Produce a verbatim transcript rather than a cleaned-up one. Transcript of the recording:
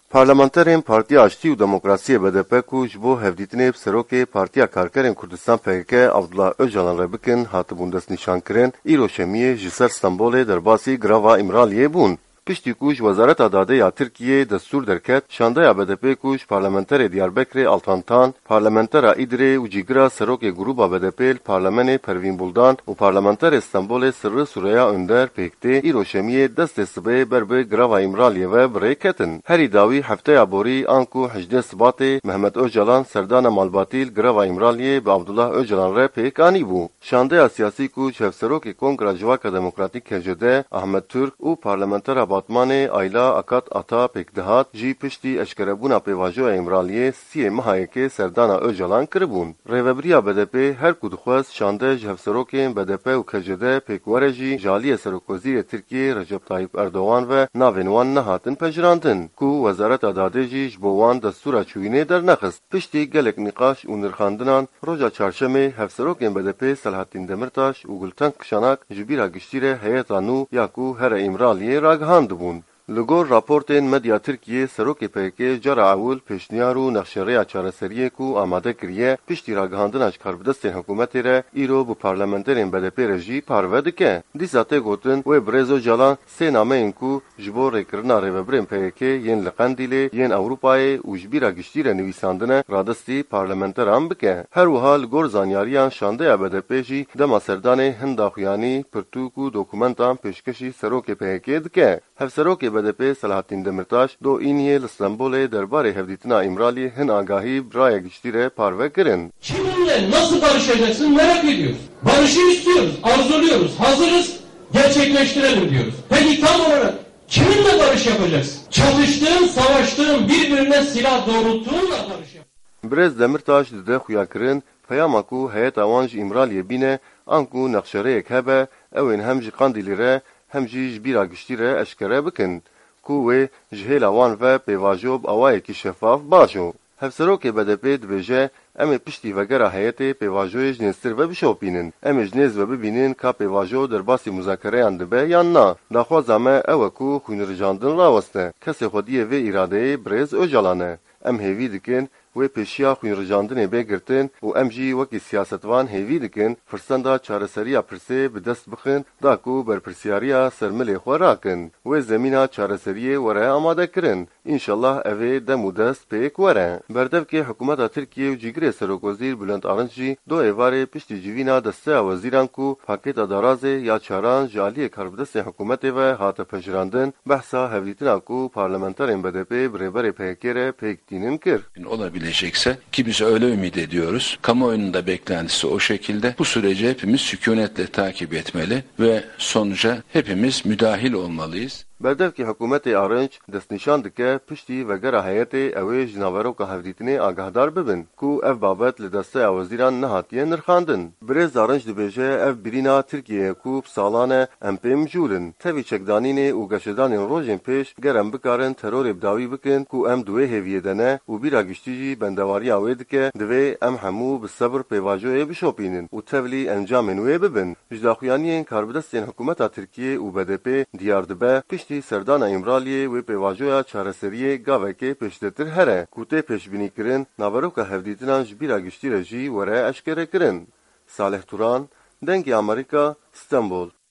Parlamenterên Partiya Aştî û Demokrasiyê B D P ku ji bo hevdîtinê bi serokê Partiya Karkerên Kurdistan P K K Abdullah Ocalan re bikin, hatibûn destnîşankirin, îro şemiyê ji ser Stenbolê derbasî girava Îmraliyê bûn. Piştî ku ji Wezareta Dadê ya Tirkiyê destûr derket, şandeya B D P ku ji parlamenterê Diyarbekirê Altan Tan, parlamentera Îdirê û cîgira serokê grûba B D P li parlamenê Pervîn Buldan û parlamenterê Stenbolê Sirri Sureya Önder pêk tê, îro şemiyê destê sibê ber bi girava Îmraliyê ve bi rê ketin. Herî dawî hefteya borî anku hejdê Sibatê Mehmet Ocalan serdana malbatî li girava Îmraliyê bi Abdullah Ocalan re pêk anîbû. Şandeya siyasî ku ji Hevserokê Kongra Civaka Demokratîk K C D Ahmet Türk û parlamentera Batmanê Ayla Akat Ata pêk dihat, jî piştî eşkerebûna pêvajoya Îmraliyê siyê meha yekê serdana Ocalan kiribûn. Rêvebiriya B D P her ku dixwest şande ji hevserokên B D P û K C D pêk were jî ji aliyê Serokwezîrê Tirkiyê Recep Tayyip Erdogan ve navên wan nehatin pejirandin, ku Wezareta Dadê jî ji bo wan destûra çûyînê dernexist. Piştî gelek nîqaş û nirxandinan, roja çarşemê hevserokên B D P Selahattin Demirtaş û Gulten Kişanak ji bîra giştî re heyeta nû ya ku here Îmraliyê ragihandibûn. Li gor raportên medya Tirkiyê, serokê P K K cara ewil pêşniyar û nexşerêya çareseriyê ku amade kiriye, piştî ragihandina ji karbidestên hikûmetê re îro bi parlamenterên B D P re jî parve dike. Dîsa tê gotin, wê birêz Ocalan sê nameyên ku ji bo rêkirina rêvebirên P Y K yên li Qendîlê, yên Ewropayê û ji bîra giştî re nivîsandine, radestî parlamenteran bike. Her wiha li gor zanyariyan şandeya B D P jî dema serdanê hin daxuyanî, pirtûk û dokumentan pêşkêşî serokê P Y K dike. Hevserokê B D P Selahattin Demirtaş do Îniyê li Stenbolê derbarê hevdîtina Îmralî hin agahî bi raya giştî re parve kirin. Kiminle nasıl barışacaksın merak ediyoruz. Barışı istiyoruz, arzuluyoruz, hazırız, gerçekleştirelim diyoruz. Peki tam olarak kiminle barış yapacaksın? Çatıştığın, savaştığın, birbirine silah doğrulttuğunla barış yap. Birêz Demirtaş dide xuyakirin, peyama ku heyeta wan ji Îmraliyê bîne, anku nexşerêyek hebe, ew ên hem ji Qandîlî re, hem jî ji bîra giştî re eşkere bikin, ku wê ji hêla wan ve pêvajo bi awayekî şefaf bajo. Hevserokê B D P dibêje, em ê piştî vegera heyetê pêvajoyê ji nêztir ve bişopînin. Em ê ji nêz ve bibînin ka pêvajo derbasî muzakereyan dibe yan na. Daxwaza me ew e ku xwînrijandin raweste. Kesê xwediyê vê îradeyê birêz Ocalan e. Em hêvî dikin, wê pêşiya xwînrijandinê bê girtin û em jî wekî siyasetvan hêvî dikin firsenda çareseriya pirsê bi dest bixin, da ku berpirsiyariya ser milê xwe rakin, wê zemîna çareseriyê were amadekirin. Înşallah ev ê dem û dest pêk were. Berdevkê hikûmeta Tirkiyê û cîgirê serokwezîr Bülent Arınç jî do êvarê piştî civîna desteya wezîran ku pakêta darazê ya çaran ji aliyê karbidestên hikûmetê ve hate pejirandin, behsa hevdîtina ku parlamenterên B D P bi rêberê P K K re pêk tînin kir. Olabilecekse, ki biz öyle ümit ediyoruz, kamuoyunun da beklentisi o şekilde, bu süreci hepimiz sükunetle takip etmeli ve sonuca hepimiz müdahil olmalıyız. Berdevkê hikûmetê Arınç destnîşan dike, piştî vegera heyetê ew ê ji naveroka hevdîtinê agahdar bibin, ku ev babet li desteya wezîran nehatiye nirxandin. Birêz Arınç dibêje, ev birîna Tirkiyê ye ku bi salan e em pê mijûl in. Tevî çekdanînê û geşedanên rojên pêş ger em bikarin terorê bi dawî bikin ku em di wê hêviyê de ne û bîra giştî jî bendewariya wê dike, divê em hemû bi sebir pêvajoyê bişopînin û tevlî encamên wê bibin. Ji daxuyaniyên karbidestên hikûmeta Tirkiyê û B D P diyar dibe, piştî serdana Îmraliyê wê pêvajoya çareseriyê gavekê pêşdetir here, ku tê pêşbînîkirin, naveroka hevdîtinan ji bîra giştî re jî were eşkerekirin. Salih Turan, Dengê Amerîka, Stenbol.